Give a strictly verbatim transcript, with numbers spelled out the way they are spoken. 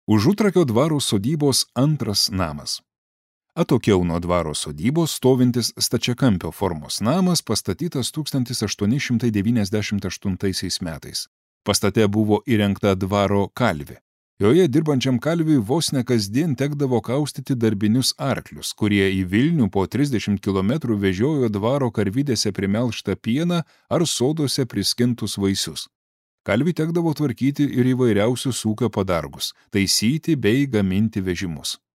Užutrakio dvaro sodybos antras namas. Atokiau nuo dvaro sodybos stovintis stačiakampio formos namas pastatytas tūkstantis aštuoni šimtai devyniasdešimt aštuntaisiais metais. Pastate buvo įrengta dvaro kalvė. Joje dirbančiam kalviui vos ne kasdien tekdavo kaustyti darbinius arklius, kurie į Vilnių po trisdešimt kilometrų vežiojo dvaro karvidėse primelštą pieną ar soduose priskintus vaisius. Kalviui tekdavo tvarkyti ir įvairiausius ūkio padargus, taisyti bei gaminti vežimus.